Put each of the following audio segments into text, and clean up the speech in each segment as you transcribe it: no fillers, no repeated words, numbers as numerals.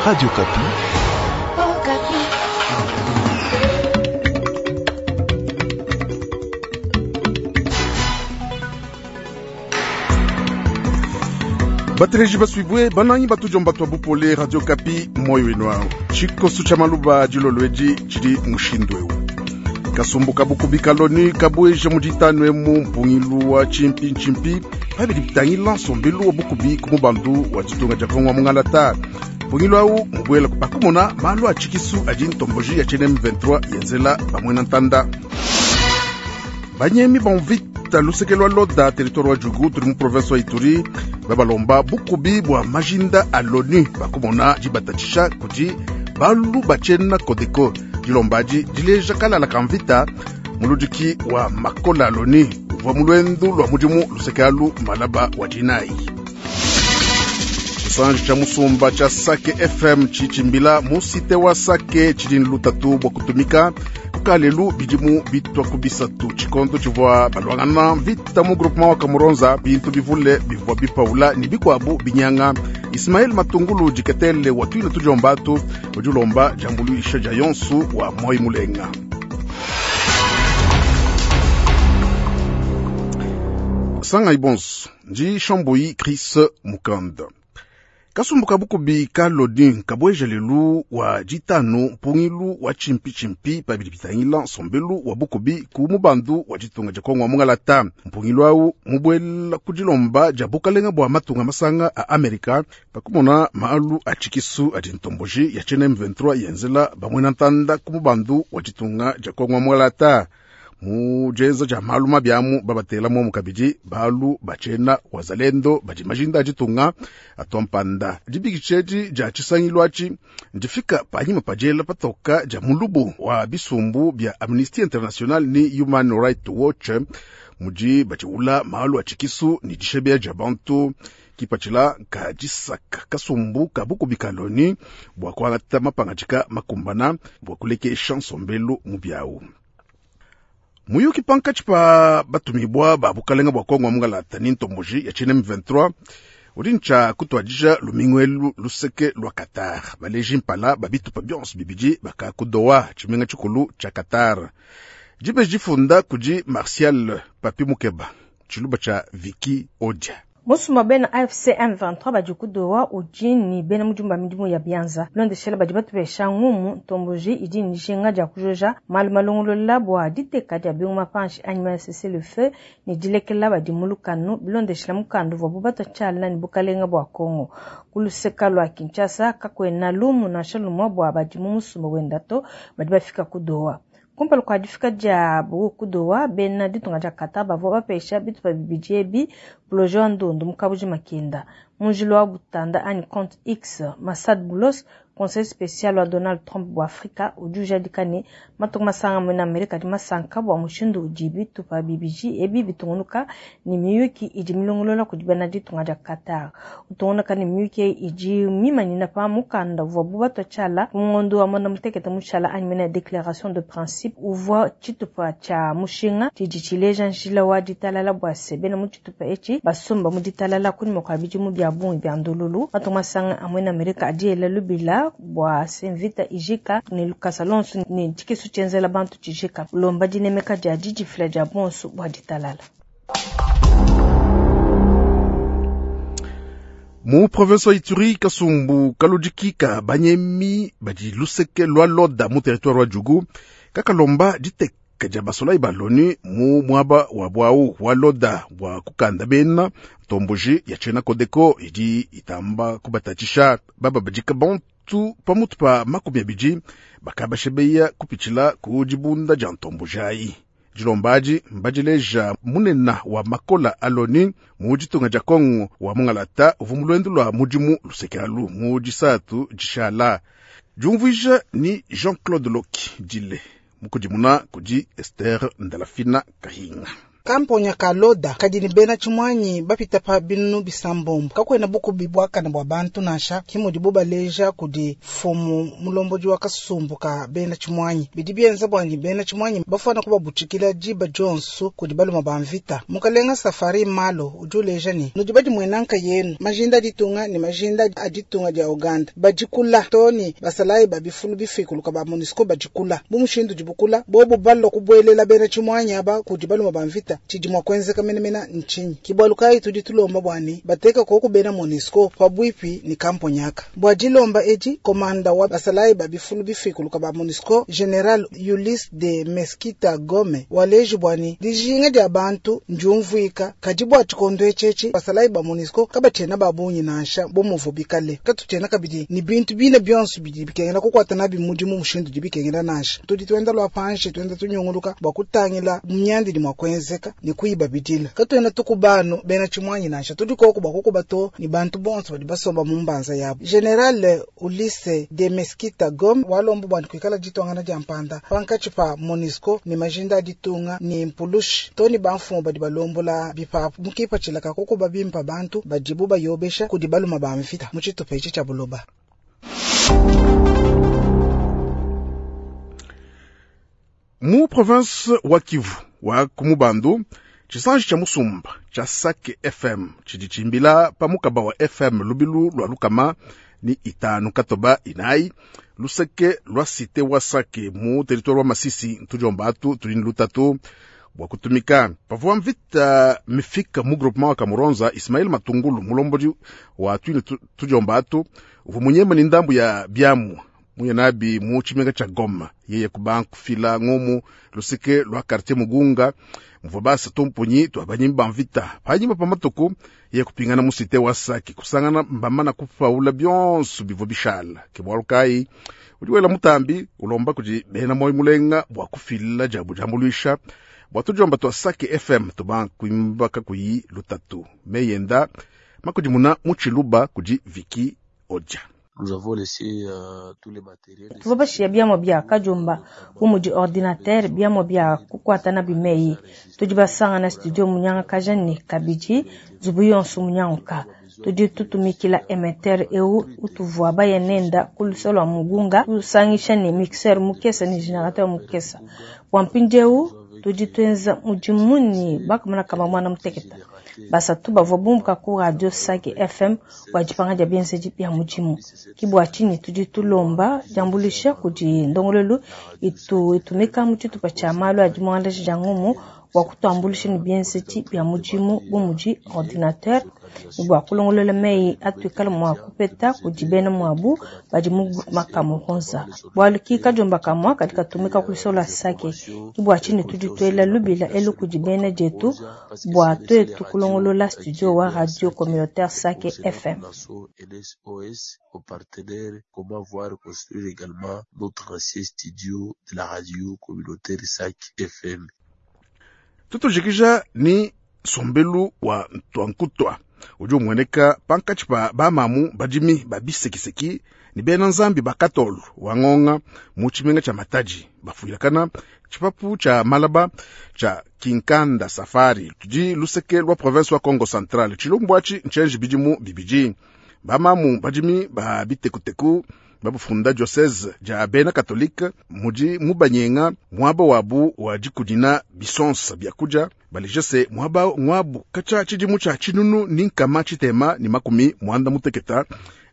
Radio Okapi. Bateleji basuibue banangi batujomba twa bupole Radio Okapi moyo wenu awo tshikoso tsha maluba dilolo edi tshidi mushindu eu kasumbu kabukubi kaloni kabueja mu ditanu emu mpungilu wa tshimpitshimpi pabidi bitangila nsombelu wa bukubi ku mubandu wa ditunga dia Kongo wa mungalata. Mpungilu awu mubuela pakumona malu a tshikisu adi ntomboji ya tshiena M23 yenzela bamwena ntanda banyemi ba mvita luseke lwa Loda territoire wa Djugu tuli mu province wa Ituri babalomba bukubi bwa majinda a l'ONU bakumona dibatatshisha kudi balu batshiena Codeco. Dilomba adi dileja kalala ka mvita muludiki wa makola a l'ONU uvua mu luendu lua mudimu luseke alu malaba wa dinayi. Tshisanji tsha musumba tsha Sake FM tshitshimbila mu site wa Sake tshidi ne lutatu bua kutumika kukalelu bidimu bitwa ku bisatu tshikondo tshivua balwangana mvita mu groupement wa Kamuronza bintu bivule bivua bipaula ne bikuabu binyanga. Ismael Matungulu diketele wa tuina tujombatu udi ulomba diambuluisha dia yonsu wa moi mulenga. Sangai bonso ndi Shambui Chris Mukanda. Kasumbu ka bukubi ka l'ONU kabueja lelu wa ditanu mpungilu wa tshimpitshimpi pabidi bitangila nsombelu wa bukubi ku mubandu wa ditunga dia Kongo wa mungalata. Mpungilu awu mubuela ku dilomba dia bukalenga bua matunga masanga a Amerika pakumona malu a tshikisu adi ntomboji ya tshiena M23 yenzela bamwena ntanda ku mubandu wa ditunga dia Kongo wa mungalata. Mu dienza dia malu mabi amu babatela momu kabidi balu batshiena wazalendo badi majinda a ditunga atua mpanda. Dibikitsha edi dia tshisangilu atshi ndifika panyima pa diela patoka dia mulubu wa bisumbu bia Amnesty International ni Human Rights Watch mudi badiwula malu a tshikisu ne dishebea dia bantu kipatshila ka disaka kasumbu ka bukubi ka l'ONU bua kuangata mapangadika makumbana bua kulekesha nsombelu mubi awu. Muyuki pankatshi pa batumibua ba bukalenga bua Kongo wa mungalata ni ntomboji ya tshiena M23 udi ntshia kutuadija lumingu elu luseke lua Qatar. Baleji mpala ba bitupa bionso bibidi bakakudowa tshimenga tshikulu tshia Qatar. Dibeji difunda kudi Martial Papi Mukeba tshiluba tshia Vicky Odia. Musumba bena AFC M23 badi ku Doha udi ne bena mudimu ba midimu ya bianza bilondeshela badi batupesha ngumu ntomboji idi ne dijinga dia kujoja malu malongolola bua diteka dia bingoma panshi anyi ma cessez-le-feu ne dilekela badi mu lukanu bilondeshela mukanda uvuabu batua tshiala ne bukalenga bua Kongo. Ku luseka lua Kinshasa kakuena lumu nansha lumue bua badi mu musumba wenda to badi bafika ku Doha. Kumpala kua difika diabu ku Doha, bena ditunga dia Qatar bavua bapesha bitupa bibidi ebi projet wa ndundu mu kabujima kenda. Mu njila wa butanda anyi compte X, Massad Boulos, conseiller spécial wa Donald Trump bua Afrika, udi ujadika ne matunga masanga muena Amerika adi masanka bua mushindu udi bitupa bibidi ebi bitungunuka ne miyuki idi milongolola kudi bena ditunga dia Qatar. Utungunuka ne miyuki eyi idi mimanyina pa mukanda uvuabu batua tshiala ku ngondo wa mwanda mutekete mushala anyi mena déclaration de principe uvua tshitupa tshia mushinga tshidi tshileja njila wa ditalala bua se bena mu tshitupa etshi basomba mu ditalala kunyima kua bidimu bia bungi bia ndululu. Matunga masanga a muena Amerika adi ela lubila bua se mvita ijika ne lukasa lonso ne tshikisu tshienzela bantu tshijika, ulomba dinemeka dia didifila dia bonso bua ditalala. Mu province wa Ituri kasumbu kaludiki ka banyemi badi luseke lua Loda mu territoire wa Djugu kakalomba diteka dia basolayi ba l'ONU mu muaba wa bwawu wa Loda bua kukanda bena ntomboji ya tshiena Codeco idi itamba kubatatshisha baba badika bantu pamutu pa makumi abidi bakabashebeya kupitshila ku dibunda dia ntomboji ayi. Dilomba adi mbadileja munena wa makola a l'ONU mu ditunga dia Kongo wa mungalata uvua mu luendu lua mudimu luseke alu mu disatu dishala. Diumvuija ni Jean-Claude Loki dile mukudimuna kudi Esther Ndalafina Kahinga. Kamponya ka Loda kadi ne bena tshimuanyi bapita pa binunu bisambombo. Kakuena bukubi buakana bua bantu nansha, ki mudibu baleja kudi mfumu mulombodi wa kasumbu ka bena tshimuanyi. Bidi bienza bua ne bena tshimuanyi bafuana kubabutshikila diba dionso kudi baluma ba mvita. Mukalenga Safari Malo udi uleja ne nudi badimuena nkayenu majinda a ditunga ne majinda a ditunga dia Uganda badikula too ne basalayi ba bifulu bifikuluka ba MONUSCO badikula bu mushindu udi bukula bobu balua kubuelela bena tshimuanyi aba kudi baluma ba mvita. Tshidi mua kuenzeka menemene ntshinyi? Ke bualu kayi tudi tulomba bua ne bateka koku bena MONUSCO pabuipi ne kamponya aka. Bua dilomba edi, komanda wa basalayi ba bifulu bifikuluka ba MONUSCO, General Ulysse de Mesquita Gomes, waleji bua ne dijinga dia bantu ndiumvuika, kadi bua tshikondo etshi basalayi ba MONUSCO kabatshiena ba bungi nansha bu muvua bikale. Katutshiena kabidi ne bintu bine bionso bidi bikengela kukuata nabi mudimu mushindu udi bikengela nansha. Tudi tuenda lua panshi, tuenda tunyunguluka bua kutangila mianda idi mua kuenzeka ne kuyibabidila. Katuena tukuba anu bena tshimuanyi nansha, tudi koku bua kukuba too ne bantu bonso badi basomba mu mbanza yabu. General Ulysse de Mesquita Gomes walomba bua kuikala dituangana dia mpanda pankatshi pa MONUSCO ne majinda a ditunga ne mpulushi too ne bamfumu badi balombola bipapu mu kipatshila ka kukuba bimpa bantu badibu bayobesha kudi baluma ba mvita mu tshitupa etshi tshia buloba. Mu province wa Kivu wa Kumubandu, tshisanji tshia musumba tshia Sake FM tshidi tshimbila pa mukaba wa FM lubilu lua lukama ni itanu katoba inayi luseke lua cité wa Sake mu territoire wa Masisi. Ntujomba atu tudi ne lutatu bua kutumika pavua mvita mifika mu groupement wa Kamuronza. Ismail Matungulu mulombodi wa tuine tujomba atu uvua munyema ni ndambu ya biamu muye nabi mu tshimenga tshia Goma, yeye kubankufila ngomu luseke lua quartier Mugunga muvua basa tumpunyi tua banyimi ba mvita. Panyima pa matuku yeye kupingana mu cité wa Sake kusangana mbamana kupaula bionso bivua bishala. Ke bualu kayi udi wela mutambi ulomba kudi bena moyo mulenga bua kufila diabu diambuluisha bua tujomba tua Sake FM tubankuimba kakuyi lutatu. Meyenda makudimuna mu tshiluba kudi Vicky Odia. Nous avons laissé tous les matériels. Tuvua bashiya biamua bia kajumba bu mudi ordinateur, biamua bia kukuata bimeyi. Tudi basangana studio munyangakaja ne kabidi nzubu yonso munyanguka. Tudi tutumikila émetteur eu utuvua baya nenda ku lusa lua Mugunga, tusangisha ne mixeur mukesa ne générateur mukesa. Bua mpindieu tudi tuenza mudimu ne bakamana kama mwana muteketa. Basatu bavua bumbuka ku radio Sake FM bua dipanga dia bienzedi bia mudimu. Ke bua tshinyi tudi tulomba diambuluisha kudi ndongoluelu itu itumika mu tshitupa tshia malu a dimuangalaja dia ngumu bua kutuambuluisha ne bienzedi bia mudimu bu mudi ordinateur ne bua kulongolola meyi atuikala mua kupeta kudi bena muabu badi mu groupement Kamuronza. Bualu ki kajomba kamua kadi katumika ku lusa lua Sake. Ke bua tshinyi tudi tuela lubila elu kudi bena dietu bua tuetu kulongolola studio wa radio communautaire Sake FM. SOS aux partenaires, comment voir construire également notre ancien studio de la radio communautaire Sake FM. Tutujikija ni sombelu wa ntwankutwa udi umueneka pankatshi pa bamamu badimi ba bisekiseki ni bena nzambi ba katolu wa ngonga mu tshimenga tshia Matadi bafuilakana tshipapu tshia Malaba tshia Kinkanda Safari tudi luseke lua province wa Congo Central. Tshilumbu atshi ntshienji bidimu bibidi. Bamamu badimi ba bitekuteku babufunda diocese dia bena katolike mudi mubanyenga muaba wabu wa dikudina bisonsa bia kudia balejese muaba ngwabu katshia tshidimu tshia tshinunu ni nkama tshitema ni makumi muanda muteketa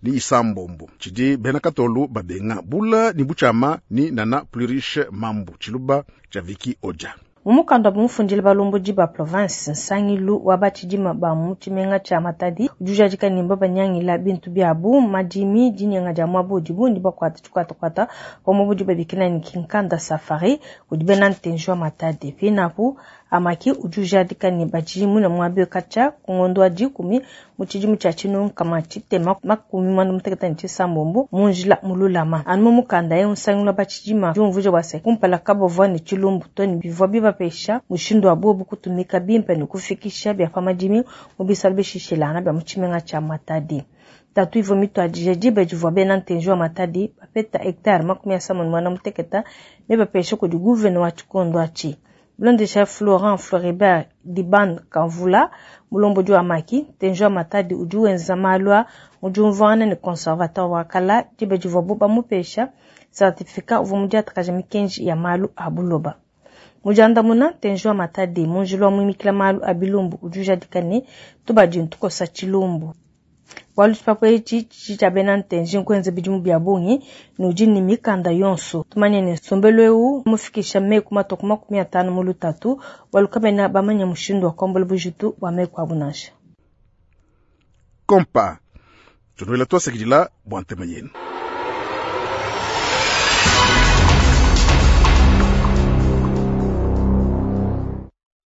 ni isambombo tshidi bena katolu babenga bula ni butshiama ni nana plurish mambu tshiluba tshia Vicky Odia. Mu mukanda wa bumufundile balombodi ba province nsangilu wa batshidima ba mu tshimenga tshia Matadi udi ujadika ne babanyangila bintu biabu madimi dinyenga dia muaba udibu ndi bakuata tshikwatakwata pa muaba udi babikila ne Kinkanda Safari udi bena ntenji wa Matadi. Pinapu amaki udi ujadika ne badi mune muaba katshia ku ngondo wa dikumi mu tshidimu tshia tshinunu nkama tshitema makumi muanda mutekete ne tshisambombo mu njila mululama. Anu mu mukanda eu nsangilu wa batshidima udi umvuija bua se kumpala kabavua ne tshilumbu to ne bivua bibapesha mushindu wa bobu kutumika bimpe ne kufikisha bia pa madimi mu bisalu bishishilangana bia mu tshimenga tshia Matadi. Tatu ivua mituadije diba divua bena ntenji wa Matadi bapeta hectare 31 ne bapesha kudi guvene wa tshikondo atshi. Bilondeshila Florent Floribert Diban Kavula, mulombodi wa maki, Ntenji wa Matadi udi wenza malu a mu diumvuangana ne conservateur wa kala diba divuabu bamupesha certificat uvua mudiatakaja mikenji ya malu a buloba. Mu diandamuna, Ntenji wa Matadi mu njila wa muimikila malu a bilumbu udi ujadika ne tubadi ntukosa tshilumbu. Bualu tshipapu etshi tshidi tshia bena Ntenji nkuenza bidimu bia bungi ne udi ne mikanda yonso. Tumanye ne nsombelu eu mufikisha meku matue ku 50 mu lutatu, bualu kabena bamanye mushindu wa kuambula bujitu bua meku abu nansha. Kompa tunuela tuasakidila bua ntema yenu.